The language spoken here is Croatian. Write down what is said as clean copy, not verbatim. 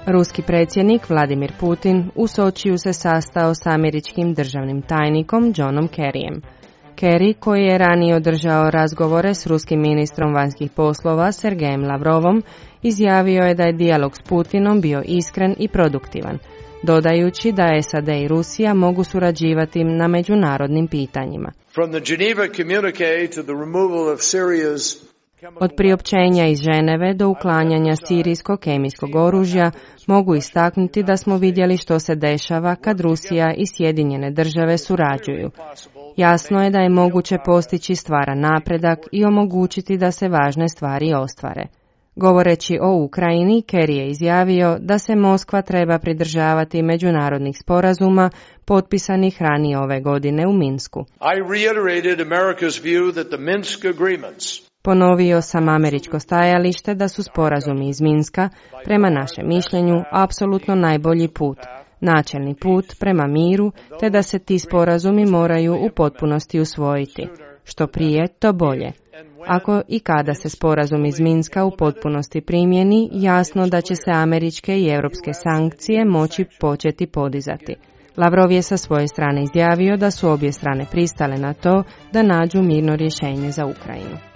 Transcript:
Ruski predsjednik Vladimir Putin u Sočiju se sastao s američkim državnim tajnikom Johnom Kerryjem. Kerry, koji je ranije održao razgovore s ruskim ministrom vanjskih poslova Sergejem Lavrovom, izjavio je da je dijalog s Putinom bio iskren i produktivan, dodajući da SAD i Rusija mogu surađivati na međunarodnim pitanjima. Od priopćenja iz Ženeve do uklanjanja sirijskog kemijskog oružja mogu istaknuti da smo vidjeli što se dešava kad Rusija i Sjedinjene države surađuju. Jasno je da je moguće postići stvaran napredak i omogućiti da se važne stvari ostvare. Govoreći o Ukrajini, Kerry je izjavio da se Moskva treba pridržavati međunarodnih sporazuma potpisanih ranije ove godine u Minsku. Ponovio sam američko stajalište da su sporazumi iz Minska, prema našem mišljenju, apsolutno najbolji put, načelni put prema miru, te da se ti sporazumi moraju u potpunosti usvojiti. Što prije, to bolje. Ako i kada se sporazum iz Minska u potpunosti primjeni, jasno da će se američke i europske sankcije moći početi podizati. Lavrov je sa svoje strane izjavio da su obje strane pristale na to da nađu mirno rješenje za Ukrajinu.